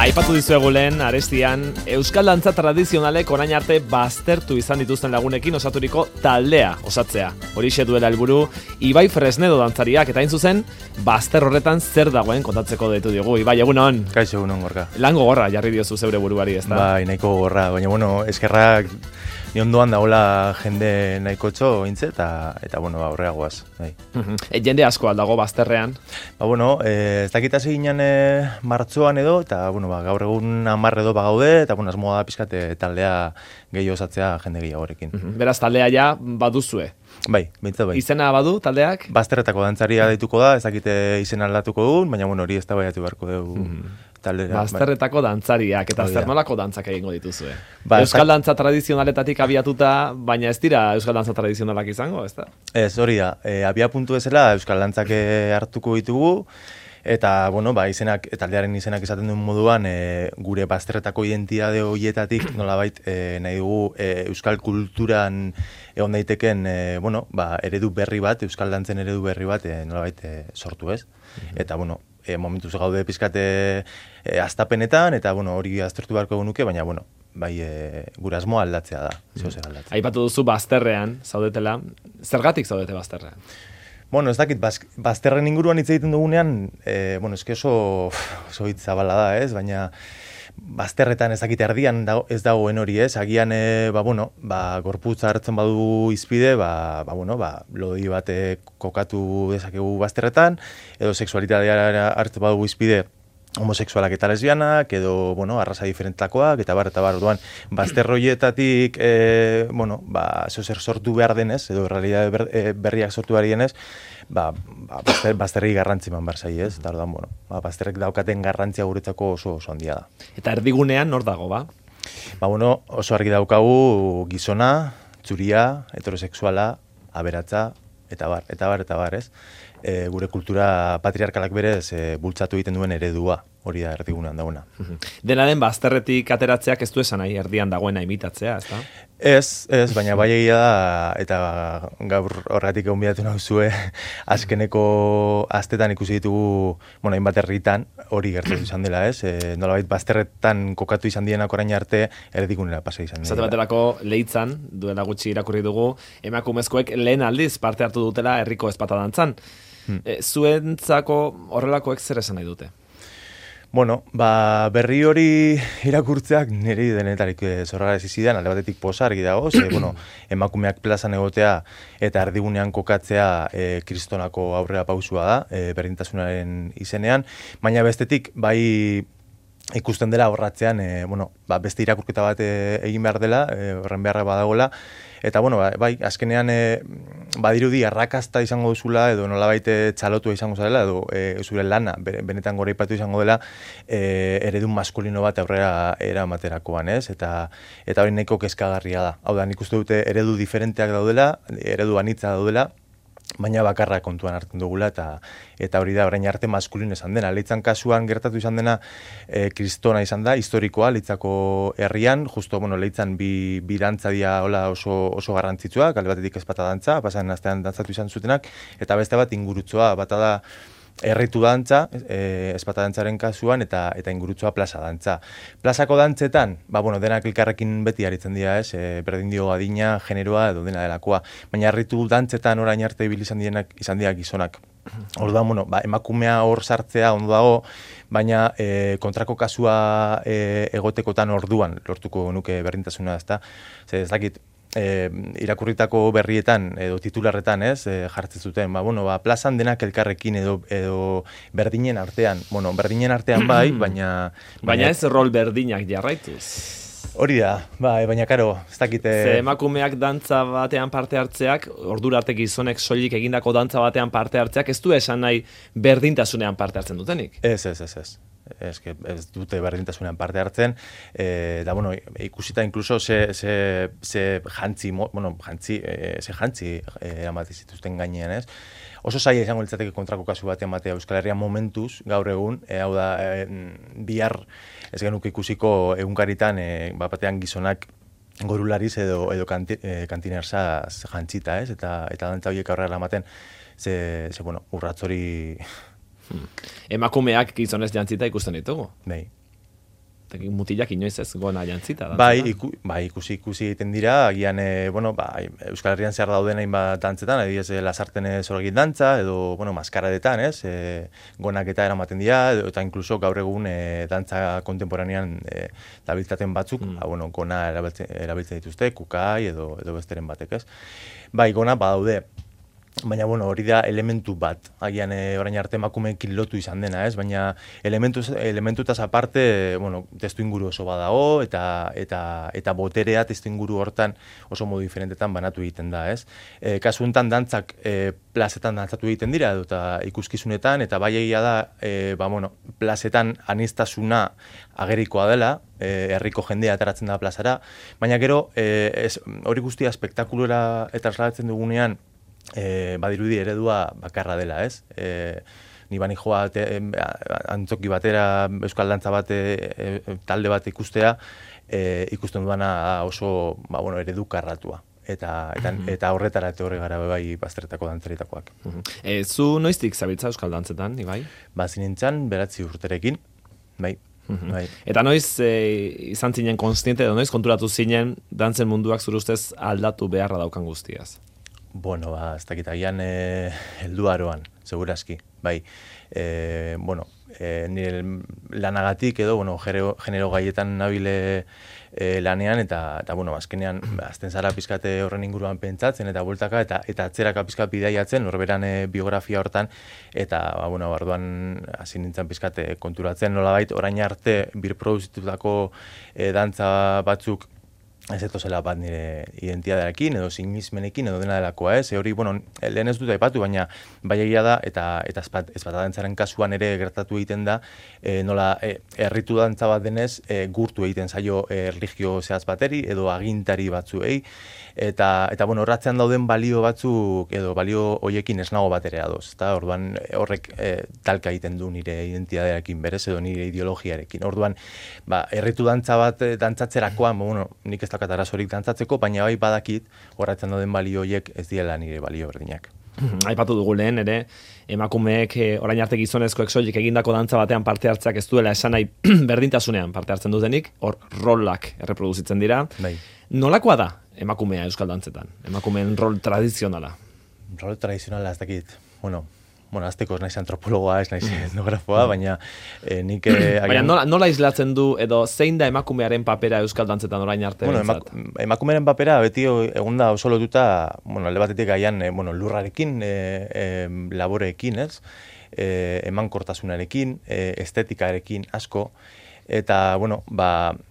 Aipatu dizuegu lehen, arestian, euskal dantza tradizionalek orain arte baztertu izan dituzten lagunekin osaturiko taldea osatzea. Horixe duela helburu Ibai Fresnedo dantzariak, eta hain zuzen, bazter horretan zer dagoen kontatzeko deitu diogu. Ibai, egunon? Kaixo, egunon, Gorka. Lan gogorra jarri diozu zeure buruari, ezta? Bai, nahiko gogorra, baina, eskerrak ni ondoan dagoela jende nahiko txo intze, eta aurrera goaz. Bai. Jende asko aldago bazterrean? Ez dakit hasi ginen martxoan edo, eta gaur egun 10 edo bagaude, eta asmoa da pizkate taldea gehiago osatzea jende gehiagorekin. Beraz, taldea ja baduzue? Bai, bintzat bai. Izena badu taldeak? Bazterretako dantzaria deituko da, ez dakite izena aldatuko dugun, baina hori ez da baiatu beharko dugu. Bazterretako dantzariak, eta zer nolako dantzak egingo dituzue? Ba, euskal dantza tradizionaletatik abiatuta, baina ez dira euskal dantza tradizionalak izango, ez da? Ez, hori da. Abia puntu bezala euskal dantzak hartuko ditugu, eta, taldearen izenak esaten duen moduan, gure bazterretako identitate horietatik nolabait nahi dugu euskal kulturan egon daiteken eredu berri bat, euskal dantzen eredu berri bat nolabait sortu ez. Eta, momentuz gaude pizkate astapenetan, eta hori aztertu beharko genuke, baina gure asmoa aldatzea da. Aipatu duzu bazterrean zaudetela, zergatik zaudete bazterrean? Ez dakit, bazterren inguruan hitz egiten dugunean, eske oso hitz zabala da, ez? Baina bazterretan ez dakit erdian ez dagoen hori, ez? Agian, gorputza hartzen badu izpide, lodi bat kokatu dezakegu bazterretan, edo sexualitatea hartzen badu izpide homoseksualak eta lesbianak, edo, arraza diferentakoak, eta bar, orduan, bazterroietatik, zer sortu behar denez, edo realidade berriak sortu behar denez, bazterri garrantzi man behar zai, ez? Eta orduan, bazterrek daukaten garrantzia guretzako oso handia da. Eta erdigunean nor dago, ba? Oso argi daukagu gizona, txuria, heterosexuala, aberatza, eta bar, ez? Gure kultura patriarkalak berez bultzatu egiten duen eredua, hori da erdigunean dagoena. Dena den bazterretik ateratzeak ez du esan nahi erdian dagoena imitatzea, ez da? Ez, baina bai egia da, eta gaur horregatik gonbidatu nauzue, azkeneko astetan ikusi ditugu, hainbat herritan, hori gertatu izan dela, ez? Nolabait bazterretan kokatu izan dienak orain arte, erdigunera pasa izan dela. Zate baterako Leitzan, duela gutxi irakurri dugu, emakumezkoek lehen aldiz parte hartu dutela herriko ezpata dantzan. Zuentzako horrelakoek zer esan nahi dute? Berri hori irakurtzeak niri denetarik zorrara ez izidan, alde batetik posa argi dago, emakumeak plazan egotea eta erdigunean kokatzea kristonako aurrera pausua da, berdintasunaren izenean, baina bestetik, bai ikusten dela horratzean, beste irakurketa bat egin behar dela, horren beharra badagoela, eta, bai, azkenean badirudi arrakasta izango duzula, edo nolabait txalotua izango zarela, edo zure lana benetan goraipatu izango dela, eredun maskulino bat aurrera eramaterakoan, ez? Eta hori nahiko kezkagarria da. Hau da, nik uste dute eredu diferenteak daudela, eredu anitza daudela, baina bakarra kontuan hartzen dugula, eta hori da orain arte maskulino izan dena. Leitzan kasuan gertatu izan dena kristona izan da, historikoa, Leitzako herrian, justo, Leitzan bi dantza dira oso garrantzitsuak, alde batetik ezpata dantza, pasan astean dantzatu izan zutenak, eta beste bat ingurutzoa, bata da erritu dantza, ezpata dantzaren kasuan, eta ingurutzoa plaza dantza. Plazako dantzetan, denak elkarrekin beti aritzen dira, ez? Berdin dio adina, generoa, edo dena delakoa. Baina erritu dantzetan orain arte ibili izan dira gizonak. Orduan, emakumea hor sartzea ondo dago, baina kontrako kasua egotekotan orduan lortuko nuke berdintasuna, ezta? Ez dakit, irakurritako berrietan edo titularretan, ez, jartzen zuten, plazan denak elkarrekin edo berdinen artean. Berdinen artean bai, baina ez rol berdinak jarraituz. Hori da, baina karo, ez dakite... Ze emakumeak dantza batean parte hartzeak, ordura arte gizonek soilik egindako dantza batean parte hartzeak, ez du esan nahi berdintasunean parte hartzen dutenik? Ez. Ez dute berdintasunean parte hartzen, da, ikusita inkluso ze jantzi eramati zituzten gainean, ez? Oso zaila izango litzateke kontrako kasu batean batea Euskal Herrian momentuz, gaur egun, hau da, bihar ez genuke ikusiko egunkaritan, batean gizonak gorulariz edo kantinerzaz jantzita, ez? Eta dantza horiek aurrera ematen, urratz hori... Emakumeak gizonez jantzita ikusten ditugu. Bai. mutilak inoiz ez gona jantzita. Bai, ikusi egiten dira, agian, Euskal Herrian zehar dauden hainbat dantzetan, adibidez, lasarten zorgin dantza, edo, maskaradetan, ez, gonak eta eramaten dira, eta inkluso gaur egun dantza kontemporanean dabiltzaten batzuk, gona erabiltzen dituzte, kukai edo besteren batek, ez. Bai, gona badaude. Baina, hori da elementu bat, agian orain arte emakumeekin lotu izan dena, ez? Baina elementutaz aparte, testu inguru oso badago, eta boterea testu inguru hortan oso modu diferentetan banatu egiten da, ez? Kasu honetan dantzak plazetan dantzatu egiten dira, eta ikuskizunetan, eta bai egia da, plazetan anistasuna agerikoa dela, herriko jendea ateratzen da plazara, baina gero, hori guztia espektakulura eta trasladatzen dugunean, badirudi eredua bakarra dela, ez? Ni bani joa antzoki batera, euskal dantza bat, talde bat ikustea, ikusten duana oso eredu karratua. Eta horretara horre gara bai bazterretako dantzaritakoak. Zu noiztik zabiltza euskal dantzetan, Ibai? Zinintzan, 9 urterekin, bai. Eta noiz izan zinen konstiente, edo noiz konturatu zinen dantzen munduak zure ustez aldatu beharra daukan guztiaz? Ez dakit agian heldu aroan, segurazki, bai. Nire lanagatik edo, genero gaietan nabile lanean, eta azkenean, azten zara pizkate horren inguruan pentsatzen, eta bueltaka, eta atzeraka pizkat bidaiatzen, norberan biografia hortan, eta, orduan, hasi nintzen pizkate konturatzen, nolabait, orain arte, birproduzitutako dantza batzuk, ez etozela bat nire identitatearekin, edo sinismenekin, edo dena delakoa, ez? Hori, lehen ez dut aipatu, baina bai egia da, eta ezpata dantzaren kasuan ere gertatu egiten da, nola erritu dantza bat denez, gurtu egiten zaio erlijio zehaz bateri, edo agintari batzuei, eta horratzean dauden balio batzuk, edo balio hoiekin ez nago bat ere adoz, eta orduan horrek talka egiten du nire identitatearekin berez, edo nire ideologiarekin. Orduan, erritu dantza bat dantzatzerakoan, nik ez daukat arazorik dantzatzeko, baina bai badakit horratzen dauden balio horiek ez diela nire balio berdinak. Aipatu dugu lehen, ere, emakumeek orain arte gizonezkoek soilik egindako dantza batean parte hartzeak ez duela esan nahi berdintasunean parte hartzen dutenik, hor rolak erreproduzitzen dira. Bai. Nolakoa da emakumea euskal dantzetan? Emakumeen rol tradizionala? Rol tradizionala ez dakit, azteko ez naiz antropologoa, ez naiz etnografoa, baina nik... Baina nola islatzen du, edo zein da emakumearen papera euskal dantzetan orain arte? Emakumearen papera beti egun da oso lotuta, alde batetik gaian lurrarekin, laboreekin, ez? Emankortasunarekin, estetikarekin asko, eta,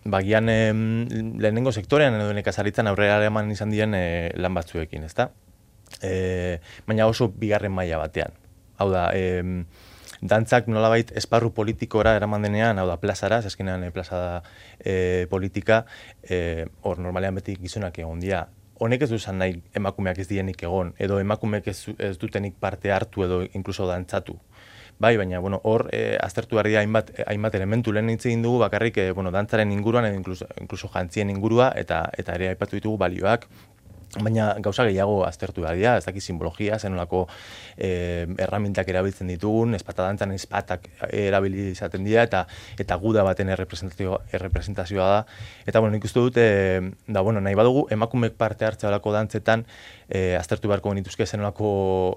bagian lehenengo sektorean edo nekazaritzan aurrera eman izan diren lan batzuekin, ezta? Baina oso bigarren maila batean. Hau da, dantzak nolabait esparru politikora eraman denean, hau da, plazara, azkenean plaza da politika, hor normalean beti gizonak egon dira. Honek ez duzan nahi emakumeak ez dienik egon, edo emakumeak ez dutenik parte hartu edo inkluso dantzatu. Bai, baina, hor, aztertu behar dira hainbat elementu lehen hitz egin dugu, bakarrik, dantzaren inguruan, edo inkluso jantzien ingurua, eta ere aipatu ditugu balioak, baina gauza gehiago aztertu behar dira, ez dakit simbologia, zenolako erramintak erabiltzen ditugun, espatadantzan espatak erabili izaten dira, eta guda baten errepresentazioa da. Eta, nik uste dut, nahi badugu, emakumeek parte hartzea olako dantzetan, aztertu beharko genituzke zenolako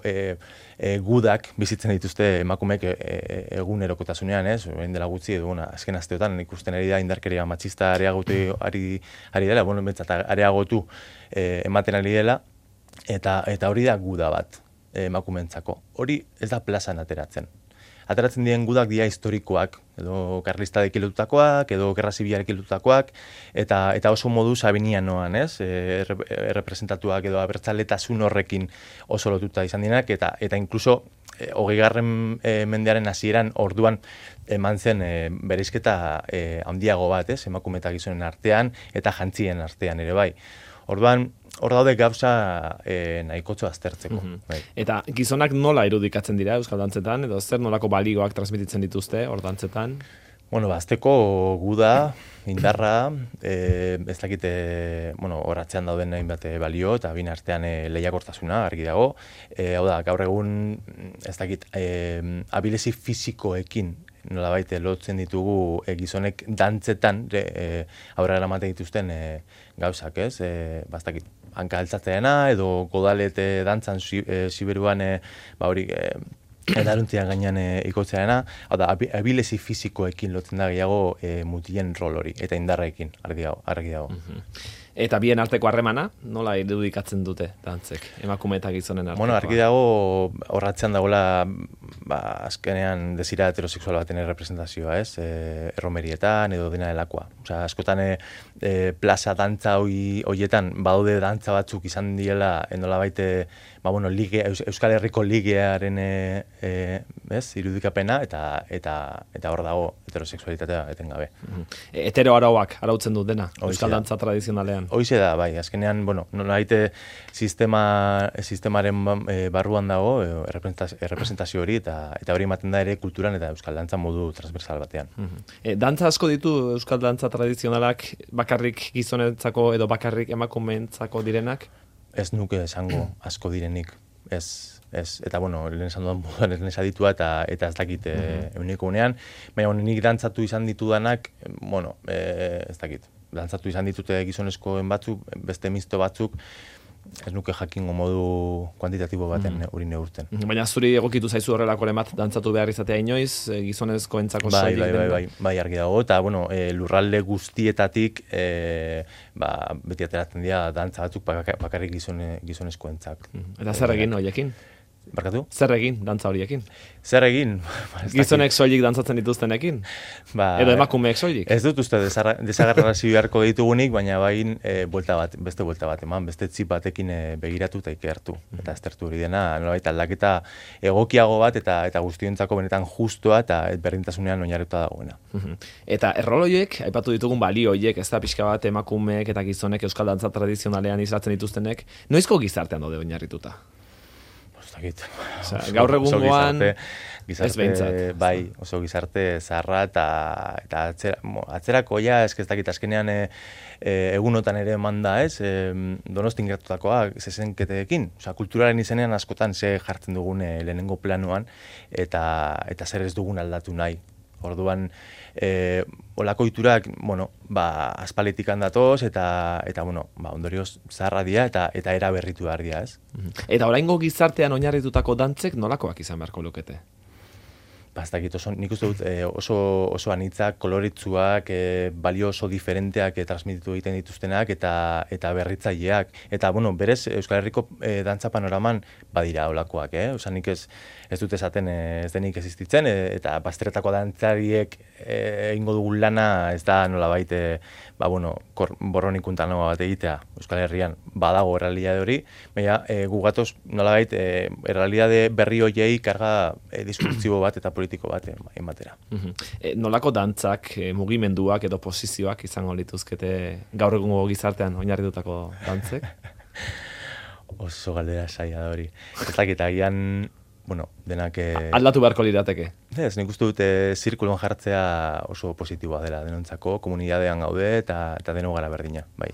gudak bizitzen dituzte emakumeek egunerokotasunean, ez? Orain dela gutxi, edo, azken asteotan, ikusten ari da indarkeria matxista areagotu ari dela, areagotu ematen ari dela, eta hori da guda bat emakumeentzako. Hori ez da plazan ateratzen. Ateratzen diren gudak dira historikoak, edo karlistadekin lotutakoak, edo gerra zibilarekin lotutakoak, eta oso modu sabinianoan, ez? Errepresentatuak edo abertzaletasun horrekin oso lotuta izan direnak, eta inkluso 20. Mendearen hasieran orduan eman zen bereizketa handiago bat, ez? Emakume eta gizonen artean, eta jantzien artean ere bai. Orduan, hor daude gauza nahikotxo aztertzeko. Eta gizonak nola irudikatzen dira euskal dantzetan, edo zer nolako balioak transmititzen dituzte hor dantzetan? Azteko guda, indarra, ez dakite, horatzean dauden hainbat balio, eta bin artean lehiakortasuna, argi dago. Hau da, gaur egun, ez dakit, abilezi fisikoekin nolabait lotzen ditugu gizonek dantzetan aurrera eramaten dituzten gauzak, ez? Bastakit, hanka altzatzeena edo godalete dantzan Siberuan hori edaruntzian gainean ikotzeana, hau da, abilezi fisikoekin lotzen da gehiago mutilen rol hori, eta indarrekin, argi dago. Eta bien arteko harremana, nola irudikatzen dute dantzek, emakume eta gizonen artekoa? Bueno, argi dago horratzean dagoela azkenean desira heterosexual baten representazioa, ez? Erromerietan edo dena delakoa. Osea, askotan plaza dantza hoietan badaude dantza batzuk izan diela nolabait Euskal Herriko ligearen irudikapena eta hor dago heterosexualitatea etengabe. Hetero arauak arautzen dut dena, euskal dantza tradizionalean. Hoize da, bai, azkenean, nolabait sistemaren barruan dago errepresentazio hori eta hori ematen da ere kulturan eta euskal dantza modu transversal batean. Dantza asko ditu euskal dantza tradizionalak bakarrik gizonentzako edo bakarrik emakumeentzako direnak? Ez nuke esango asko direnik, ez, eta lehen esan dudan moduan ez aditua eta ez dakit euneko unean, baina nik dantzatu izan ditudanak, ez dakit, dantzatu izan ditute gizonezkoen batzuk, beste misto batzuk, ez nuke jakingo modu kuantitatibo baten hori neurten. Baina zuri egokitu zaizu horrelako bat dantzatu behar izatea inoiz, gizonezkoentzako soilik? Bai, argi dago, eta lurralde guztietatik beti ateratzen dira dantza batzuk bakarrik gizonezkoentzak. Eta zer egin horiekin? Barkatu? Zer egin dantza horiekin? Zer egin? Gizonek soilik dantzatzen dituztenekin? Edo emakumeek soilik? Ez dut uste desagarrarazio beharko ditugunik, baina beste buelta bat eman, beste txip batekin begiratu eta ikertu. Eta aztertu hori dena, nolabait aldaketa egokiago bat eta guztiontzako benetan justua eta berdintasunean oinarrituta dagoena. Eta erroloiek, aipatu ditugun balio horiek, ez da pixka bat emakumeek eta gizonek euskal dantza tradizionalean islatzen dituztenek, noizko gizartean daude oinarrituta? Gaur egungoan oso gizarte zaharra eta atzerakoia ez dakit azkenean egunotan ere manda ez Donostin gertutakoa zezenketeekin, kulturaren izenean askotan ze jartzen dugun lehenengo planuan eta zer ez dugun aldatu nahi. Orduan, olako iturak, aspaletik handatoz eta ondorioz zaharra dira eta era berritu behar dira, ez? Eta oraingo gizartean oinarritutako dantzek nolakoak izan beharko lukete? Nik uste dut oso anitzak, koloritzuak, balio oso diferenteak transmititu egiten dituztenak eta berritzaileak. Eta, berez Euskal Herriko dantza panoraman badira olakoak, Osa, nik ez dut esaten ez denik existitzen, eta bazteretako dantzariek egingo dugun lana ez da nolabait, borronikuntanoa bat egitea Euskal Herrian badago errealitate hori, baina gugatoz nolabait errealitate berri hoiei karga diskurtsibo bat eta politiko bat ematera. Nolako dantzak, mugimenduak edo posizioak izango lituzkete gaur egungo gizartean oinarritutako dantzek? Oso galdera saia da hori. Ez dakit agian denak... Aldatu beharko lirateke. Ez, nik uste dute zirkulon jartzea oso positiboa dela denontzako, komunidadean gaude eta deno gara berdina, bai.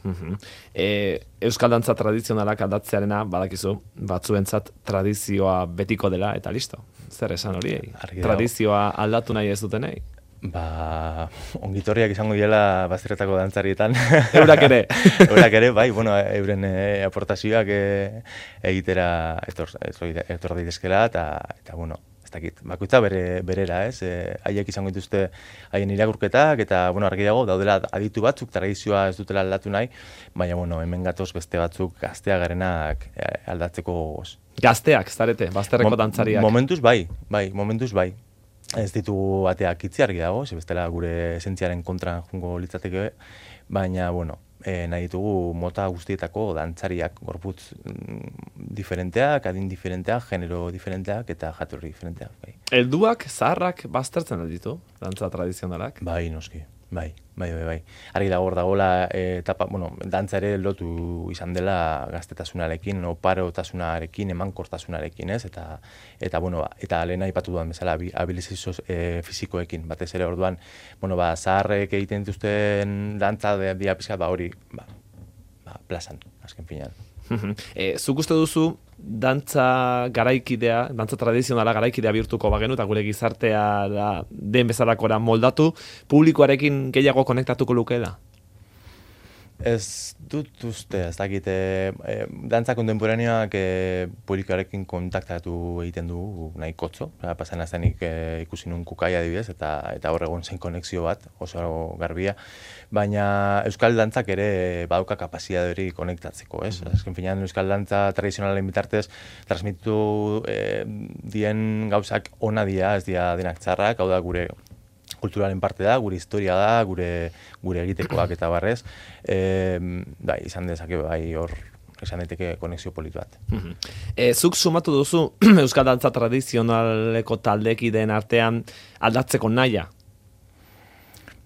Euskal dantza tradizionalak aldatzearena, badakizu, batzuentzat tradizioa betiko dela, eta listo. Zer esan hori? Tradizioa aldatu nahi ez dutenei? Ongitorriak izango diela bazterretako dantzarietan. Eurak ere. Eurak ere, bai, euren aportazioak egitera etor daitezkela eta ez dakit, bakoitza berera, ez? Haiek izango dituzte haien irakurketak eta, argi dago, daudela aditu batzuk, tradizioa ez dutela aldatu nahi, baina, hemen gatoz beste batzuk gaztea garenak aldatzeko gogoz. Gazteak, zarete, bazterreko dantzariak? Momentuz bai. Ez ditugu bateak itzi argi dago, bestela gure esentziaren kontra jungo litzateke, baina, nahi ditugu mota guztietako dantzariak, gorputz diferenteak, adin diferenteak, genero diferenteak eta jatorri diferenteak. Bai. Helduak, zaharrak baztertzen ditu, dantza tradizionalak? Bai, noski. Bai. Argi dago hor dagoela etapa, dantza ere lotu izan dela gaztetasunarekin, oparotasunarekin, emankortasunarekin, ez? Eta lehen aipatu duan bezala abilizazio fisikoekin, batez ere orduan, zaharrek egiten dituzten dantza dia pizkat hori, plazan, azken finean. Zuk uste duzu, dantza garaikidea, dantza tradizionala garaikidea bihurtuko bagenu, eta gure gizartea den bezalakora moldatu, publikoarekin gehiago konektatuko lukeela? Ez dut uste, ez dakit, dantza kontemporaneoak publikoarekin kontaktatu egiten du nahi kotzo, pasan aztenik ikusi nun Kukai adibidez, eta hor egon zen konexio bat, oso garbia, baina euskal dantzak ere badauka kapazitatea hori konektatzeko, ez? Azken finean euskal dantza tradizionalen bitartez transmitu dien gauzak ona dira, ez dira denak txarrak, hau da gure kulturalen parte da, gure historia da, gure egitekoak eta barrez, izan dezake hor esan daiteke konexio polit bat. Zuk sumatu duzu euskal dantza tradizionaleko taldekideen artean aldatzeko naia?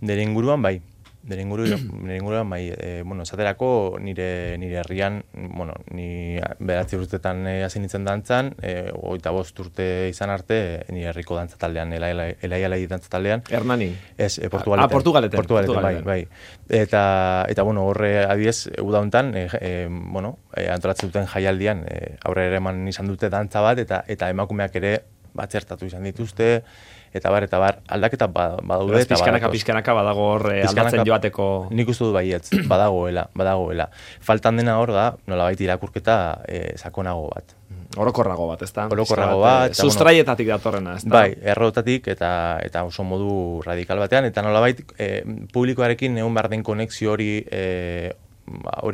Nire inguruan bai. Bueno, esaterako nire herrian, bueno, ni 9 urtetan hasi nintzen dantzan, 25 urte izan arte nire herriko dantza taldean, elaialai dantza taldean. Hernanin? Ez, Portugaleten. Portugaleten, bai. Eta bueno, horre adibidez, uda hontan, antolatzen duten jaialdian, aurrera eman izan dute dantza bat, eta emakumeak ere batzertatu izan dituzte, eta bar, aldaketa badaude. Pizkanaka badago hor aldatzen joateko. Nik uste dut baietz, badagoela. Faltan dena hor da, nolabait irakurketa sakonago bat. Orokorrago bat, ezta? Orokorrago bat. Sustraietatik datorrena, ezta? Bai, errotatik eta oso modu radikal batean, eta nolabait publikoarekin egon behar den konexio hori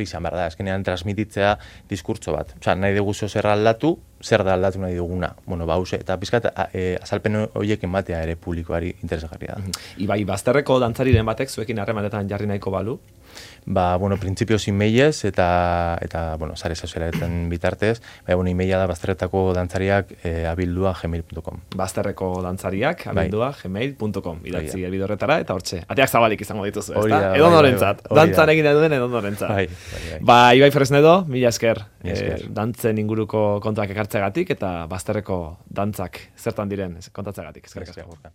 izan behar da, eskenean transmititzea diskurtso bat. Osa, nahi dugu zer aldatu, zer da aldatu nahi duguna. Bueno, eta pizkat azalpen horiek ematea ere publikoari interesgarria da. Ibai, bazterreko dantzariren batek zuekin harremanetan jarri nahiko balu? Printzipioz emailez eta sare sozialetan bitartez, emaila da bazterretako dantzariak abildua@gmail.com. Bazterreko dantzariak abildua@gmail.com. Idatzi helbide horretara eta hortxe. Ateak zabalik izango dituzu, ezta? Edonorentzat. Dantzan egin duen edonorentzat. Ibai Fresnedo, mila esker. Dantzen inguruko kontuak ekartzeagatik eta bazterreko dantzak zertan diren kontatzeagatik. Eskerrik asko.